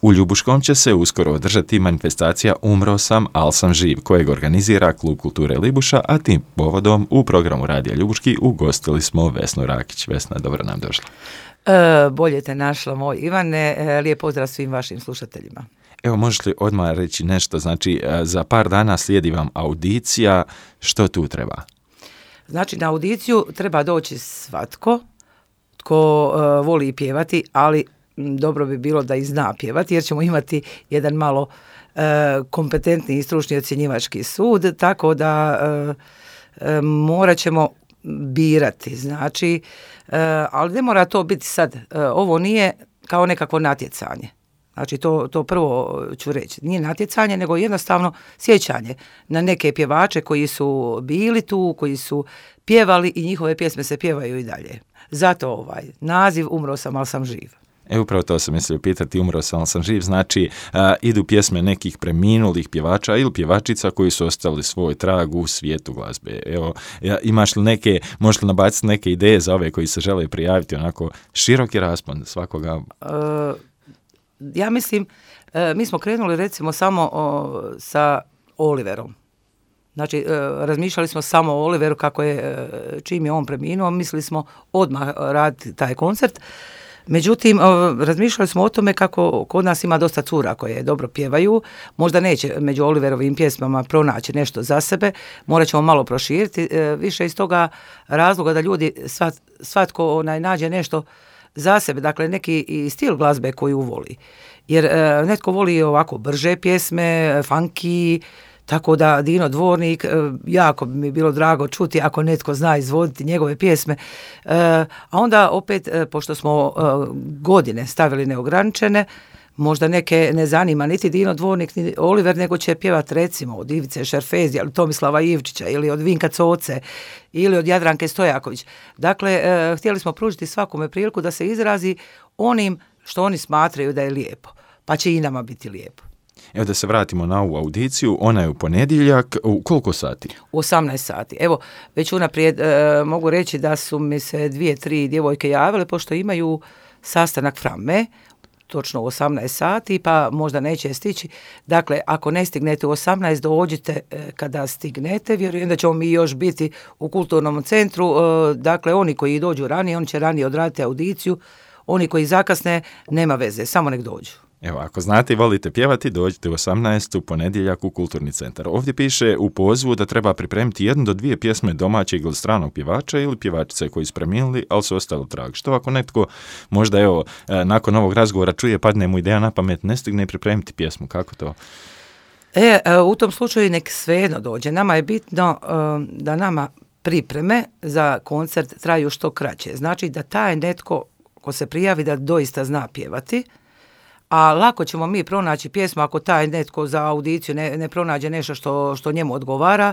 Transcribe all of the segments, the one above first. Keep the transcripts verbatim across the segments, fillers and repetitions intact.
U Ljubuškom će se uskoro održati manifestacija Umro sam, al sam živ, kojeg organizira Klub kulture Libuša, a tim povodom u programu Radija Ljubuški ugostili smo Vesnu Rakić. Vesna, dobro nam došla. E, bolje te našla, moj Ivane. E, lijep pozdrav svim vašim slušateljima. Evo, možeš li odmah reći nešto? Znači, za par dana slijedi vam audicija. Što tu treba? Znači, na audiciju treba doći svatko tko uh, voli pjevati, ali m, dobro bi bilo da i zna pjevati, jer ćemo imati jedan malo uh, kompetentni i stručni ocjenjivački sud, tako da uh, uh, morat ćemo birati. Znači, uh, ali ne mora to biti sad. Uh, ovo nije kao nekakvo natjecanje. Znači, to, to prvo ću reći. Nije natjecanje, nego jednostavno sjećanje na neke pjevače koji su bili tu, koji su pjevali i njihove pjesme se pjevaju i dalje. Zato ovaj naziv Umro sam, al sam živ. E, upravo to sam mislio pitati, Umro sam, al sam živ, znači a, idu pjesme nekih preminulih pjevača ili pjevačica koji su ostavili svoj trag u svijetu glazbe. Evo, ja, imaš li neke, možeš li nabaciti neke ideje za ove koji se žele prijaviti, onako široki raspon svakoga? E, ja mislim, e, mi smo krenuli recimo samo o, sa Oliverom. Znači, e, razmišljali smo samo o Oliveru kako je, e, čim je on preminuo, mislili smo odmah raditi taj koncert. Međutim, e, razmišljali smo o tome kako kod nas ima dosta cura koje dobro pjevaju, možda neće među Oliverovim pjesmama pronaći nešto za sebe, morat ćemo malo proširiti, e, više iz toga razloga da ljudi svat, svatko onaj, nađe nešto za sebe, dakle neki i stil glazbe koju voli. Jer e, netko voli ovako brže pjesme, funky, tako da Dino Dvornik, e, jako bi mi bilo drago čuti ako netko zna izvoditi njegove pjesme. E, a onda opet, e, pošto smo e, godine stavili neograničene, možda neke ne zanima niti Dino Dvornik, ni Oliver, nego će pjevati recimo od Ivice Šerfezija, ili Tomislava Ivčića, ili od Vinka Coce, ili od Jadranke Stojaković. Dakle, e, htjeli smo pružiti svakome priliku da se izrazi onim što oni smatraju da je lijepo, pa će i nama biti lijepo. Evo da se vratimo na ovu audiciju, ona je u ponedjeljak, u koliko sati? U osamnaest sati. Evo, već unaprijed e, mogu reći da su mi se dvije, tri djevojke javile, pošto imaju sastanak Framme, točno u osamnaest sati, pa možda neće stići. Dakle, ako ne stignete u osamnaest, dođite e, kada stignete. Vjerujem da ćemo mi još biti u kulturnom centru. E, dakle, oni koji dođu ranije, oni će ranije odraditi audiciju. Oni koji zakasne, nema veze, samo nek dođu. Evo, ako znate i volite pjevati, dođite u osamnaest u ponedjeljak u Kulturni centar. Ovdje piše u pozivu da treba pripremiti jednu do dvije pjesme domaćeg ili stranog pjevača ili pjevačice koji su preminuli, ali su ostali trag. Što ako netko možda, evo, nakon ovog razgovora čuje, padne mu ideja na pamet, ne stigne pripremiti pjesmu, kako to? E, u tom slučaju nek svejedno dođe. Nama je bitno da nama pripreme za koncert traju što kraće. Znači da taj netko ko se prijavi da doista zna pjevati, a lako ćemo mi pronaći pjesmu ako taj netko za audiciju ne, ne pronađe nešto što, što njemu odgovara,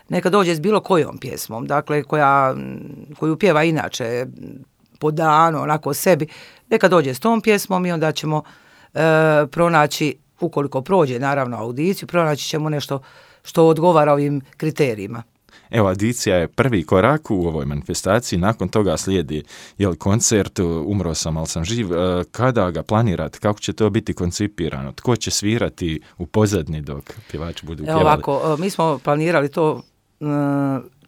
neka dođe s bilo kojom pjesmom, dakle koja, koju pjeva inače po danu, onako sebi, neka dođe s tom pjesmom i onda ćemo e, pronaći, ukoliko prođe naravno audiciju, pronaći ćemo nešto što odgovara ovim kriterijima. Evo, audicija je prvi korak u ovoj manifestaciji, nakon toga slijedi jel, koncert Umro sam, al sam živ. Kada ga planirate, kako će to biti koncipirano? Tko će svirati u pozadnji dok pjevači budu pjevali? Ovako, mi smo planirali to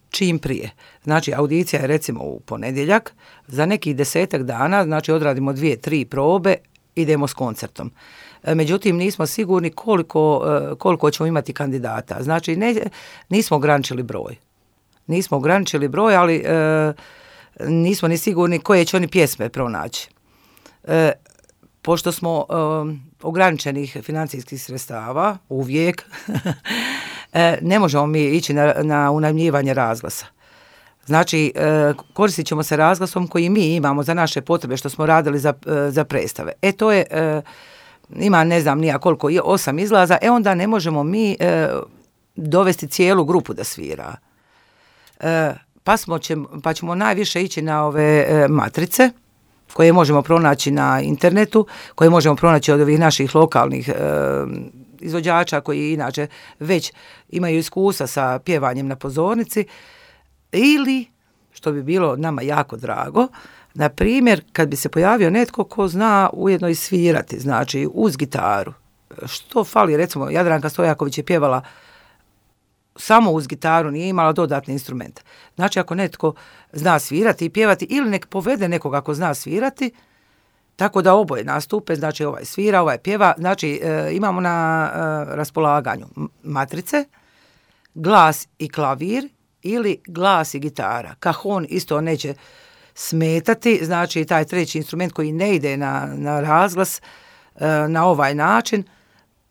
čim prije. Znači, audicija je recimo u ponedjeljak, za nekih desetak dana, znači odradimo dvije, tri probe, idemo s koncertom. Međutim, nismo sigurni koliko, koliko ćemo imati kandidata. Znači, ne, nismo ograničili broj. Nismo ograničili broj, ali e, nismo ni sigurni koje će oni pjesme pronaći. E, pošto smo e, ograničenih financijskih sredstava, uvijek, e, ne možemo mi ići na, na unajmljivanje razglasa. Znači, e, koristit ćemo se razglasom koji mi imamo za naše potrebe što smo radili za, e, za predstave. E, to je... E, ima ne znam nija koliko, osam izlaza, e onda ne možemo mi e, dovesti cijelu grupu da svira. E, pa, smo će, pa ćemo najviše ići na ove e, matrice koje možemo pronaći na internetu, koje možemo pronaći od ovih naših lokalnih e, izvođača koji inače već imaju iskustva sa pjevanjem na pozornici, ili, što bi bilo nama jako drago, Na primjer, kad bi se pojavio netko ko zna ujedno i svirati, znači uz gitaru, što fali, recimo Jadranka Stojaković je pjevala samo uz gitaru, nije imala dodatne instrumente. Znači ako netko zna svirati i pjevati ili nek povede nekoga ako zna svirati, tako da oboje nastupe, znači ovaj svira, ovaj pjeva, znači e, imamo na e, raspolaganju matrice, glas i klavir ili glas i gitara. Kahon isto neće smetati, znači taj treći instrument koji ne ide na, na razglas e, na ovaj način,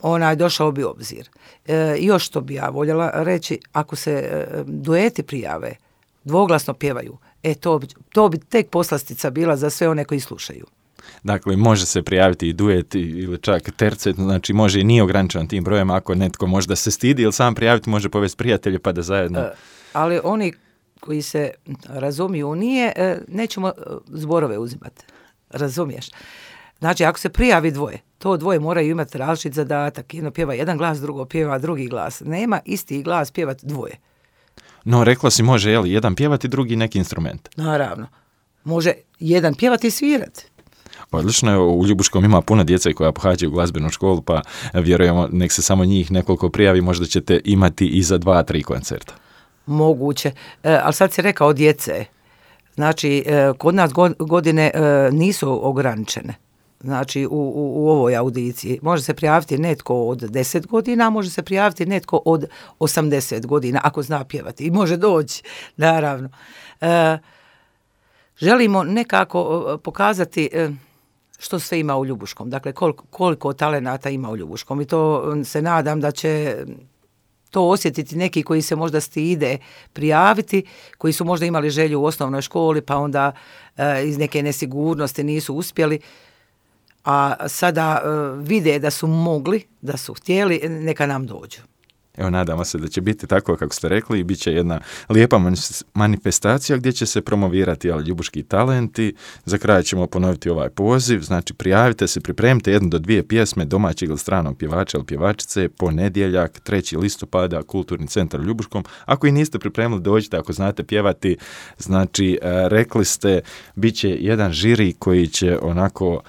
onaj došao bi u obzir. E, još što bi ja voljela reći, ako se e, dueti prijave, dvoglasno pjevaju, e to bi, to bi tek poslastica bila za sve one koji slušaju. Dakle, može se prijaviti i duet ili čak tercet, znači može i nije ograničen tim brojem, ako netko možda se stidi ili sam prijaviti, može povesti prijatelje pa da zajedno... E, ali oni koji se razumiju nije, e, nećemo zborove uzimati, razumiješ? Znači, ako se prijavi dvoje, to dvoje moraju imati različit zadatak. Jedno pjeva jedan glas, drugo pjeva drugi glas. Nema isti glas pjevati dvoje. No, rekla si može, jel, jedan pjevati, drugi neki instrument. Naravno. Može jedan pjevati i svirati. Odlično je, u Ljubuškom ima puno djece koja pohađaju glazbenu školu, pa vjerujemo, nek se samo njih nekoliko prijavi, možda ćete imati i za dva, tri koncerta. Moguće. E, ali sad si rekao djece. Znači, e, kod nas godine e, nisu ograničene. Znači, u, u, u ovoj audiciji. Može se prijaviti netko od deset godina, može se prijaviti netko od osamdeset godina, ako zna pjevati. I može doći, naravno. E, želimo nekako pokazati e, što sve ima u Ljubuškom. Dakle, koliko, koliko talenata ima u Ljubuškom. I to se nadam da će to osjetiti neki koji se možda stide prijaviti, koji su možda imali želju u osnovnoj školi, pa onda e, iz neke nesigurnosti nisu uspjeli, a sada uh, vide da su mogli, da su htjeli, neka nam dođu. Evo, nadamo se da će biti tako kako ste rekli i bit će jedna lijepa manifestacija gdje će se promovirati ali, ljubuški talenti. Za kraj ćemo ponoviti ovaj poziv, znači prijavite se, pripremite jednu do dvije pjesme domaćeg ili stranog pjevača ili pjevačice, ponedjeljak, trećeg listopada, Kulturni centar u Ljubuškom. Ako i niste pripremili, dođite, ako znate pjevati, znači rekli ste, bit će jedan žiri koji će onako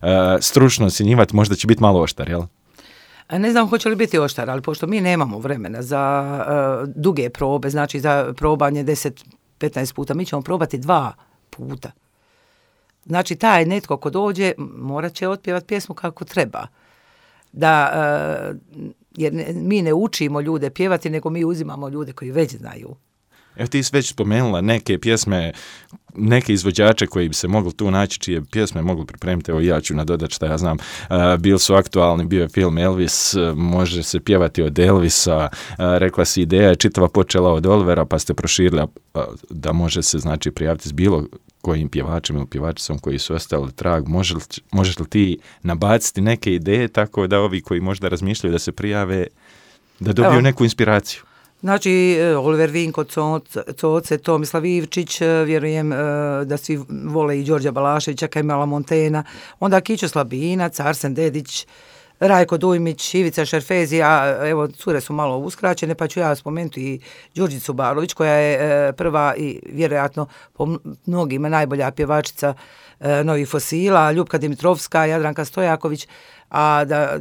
Uh, stručno ocjenjivati, možda će biti malo oštar, jel? Ne znam hoće li biti oštar, ali pošto mi nemamo vremena za uh, duge probe, znači za probanje deset do petnaest puta, mi ćemo probati dva puta. Znači taj netko ko dođe morat će otpjevati pjesmu kako treba. Da, uh, jer ne, mi ne učimo ljude pjevati, nego mi uzimamo ljude koji već znaju. Evo ti si već spomenula neke pjesme, neke izvođače koji bi se mogli tu naći, čije pjesme mogli pripremiti, evo ja ću nadodati šta ja znam, uh, bili su aktualni, bio je film Elvis, uh, može se pjevati od Elvisa, uh, rekla si ideja je čitava počela od Olivera, pa ste proširili uh, da može se znači prijaviti s bilo kojim pjevačem ili pjevačicom koji su ostali trag. Može li, možeš li ti nabaciti neke ideje tako da ovi koji možda razmišljaju da se prijave, da dobiju evo neku inspiraciju? Znači, Oliver Vinko, Coce, Tomislav Ivčić, vjerujem da svi vole i Đorđa Balaševića, Kemala Montena, onda Kićo Slabinac, Arsen Dedić, Rajko Dujmić, Ivica Šerfezija, evo, cure su malo uskraćene, pa ću ja spomenuti i Đurđicu Balović, koja je prva i vjerojatno po mnogima najbolja pjevačica novih fosila, Ljupka Dimitrovska, Jadranka Stojaković, a da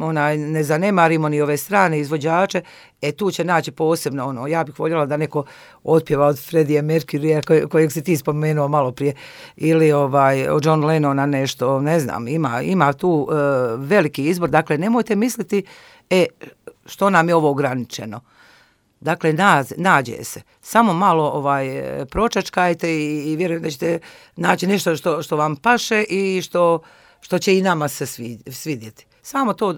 ona, ne zanemarimo ni ove strane izvođače, e tu će naći posebno ono, ja bih voljela da neko otpjeva od Freddie Mercury koj, kojeg si ti spomenuo malo prije, ili ovaj, od John Lennona nešto, ne znam, ima, ima tu uh, veliki izbor, dakle nemojte misliti, e, što nam je ovo ograničeno. Dakle, naz, nađe se. Samo malo ovaj, pročačkajte i, i vjerujem da ćete naći nešto što, što vam paše i što, što će i nama se svidjeti. Samo to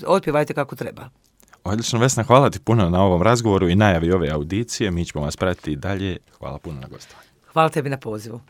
otpjevajte kako treba. Odlično, Vesna, hvala ti puno na ovom razgovoru i najavi ove audicije. Mi ćemo vas pratiti dalje. Hvala puno na gostovanju. Hvala tebi na pozivu.